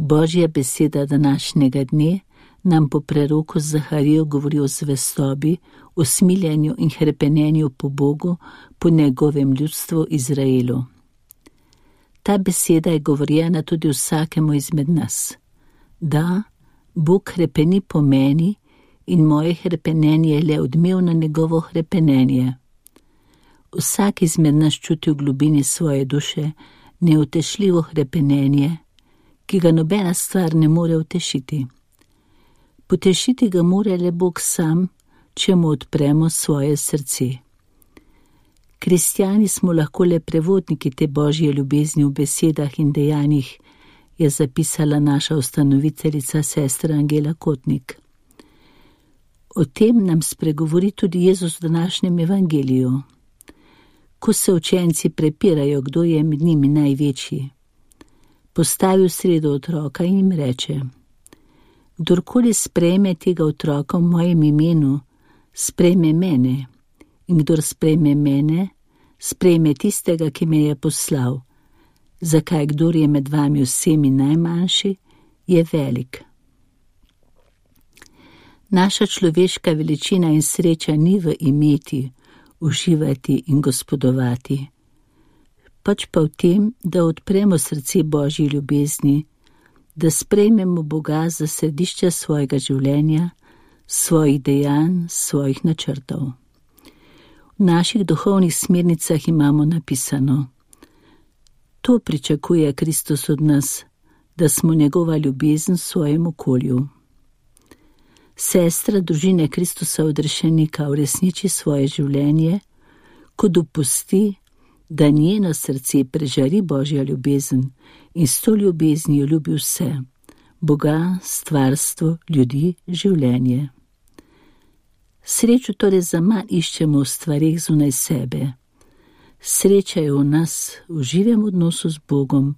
Božja beseda današnjega dne nam po preroku Zaharijo govori o zvestobi, usmiljenju in hrepenenju po Bogu, po njegovem ljudstvu Izraelu. Ta beseda je govorjena tudi vsakemu izmed nas. Da, Bog hrepeni po meni in moje hrepenenje je le odmev na njegovo hrepenenje. Vsak izmed nas čuti v globini svoje duše neutešljivo hrepenenje, ki ga nobena stvar ne more utešiti. Potešiti ga mora le Bog sam, če mu odpremo svoje srce. Kristjani smo lahko le prevodniki te Božje ljubezni v besedah in dejanjih, je zapisala naša ustanoviteljica sestra Angela Kotnik. O tem nam spregovori tudi Jezus v današnjem evangeliju. Ko se učenci prepirajo, kdo je med njimi največji, postavi v sredo otroka in jim reče: Kdorkoli sprejme tega otroka v mojem imenu, sprejme mene, in kdor sprejme mene, sprejme tistega, ki me je poslal. Zakaj kdor je med vami vsemi najmanjši, je velik. Naša človeška veličina in sreča ni v imeti, uživati in gospodovati, pač pa v tem, da odpremo srce Božji ljubezni, da sprejmemo Boga za središče svojega življenja, svojih dejanj, svojih načrtov. V naših duhovnih smernicah imamo napisano: To pričakuje Kristus od nas, da smo njegova ljubezen v svojem okolju. Sestra družine Kristusa odrešenika uresniči svoje življenje, ko dopusti, da njeno srce prežari Božja ljubezen in s to ljubeznijo ljubi vse, Boga, stvarstvo, ljudi, življenje. Srečo torej zaman iščemo v stvareh zunaj sebe. Sreča je v nas, v živem odnosu z Bogom,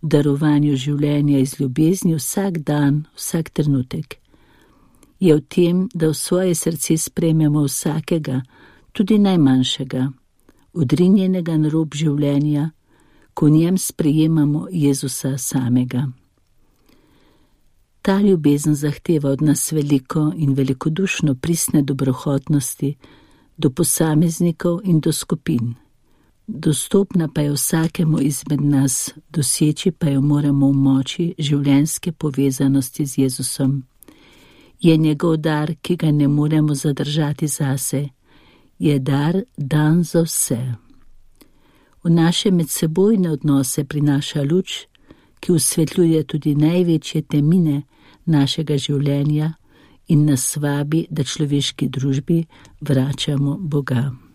v darovanju življenja iz ljubezni vsak dan, vsak trenutek. Je v tem, da v svoje srce sprejmemo vsakega, tudi najmanjšega, odrinjenega na rob življenja, ko v njem sprejemamo Jezusa samega. Ta ljubezen zahteva od nas veliko in velikodušno pristne dobrohotnosti do posameznikov in do skupin. Dostopna pa je vsakemu izmed nas, doseči pa jo moramo v moči življenjske povezanosti z Jezusom. Je njegov dar, ki ga ne moremo zadržati zase, je dar dan za vse. V naše medsebojne odnose prinaša luč, ki osvetljuje tudi največje temine našega življenja in nas vabi, da človeški družbi vračamo Boga.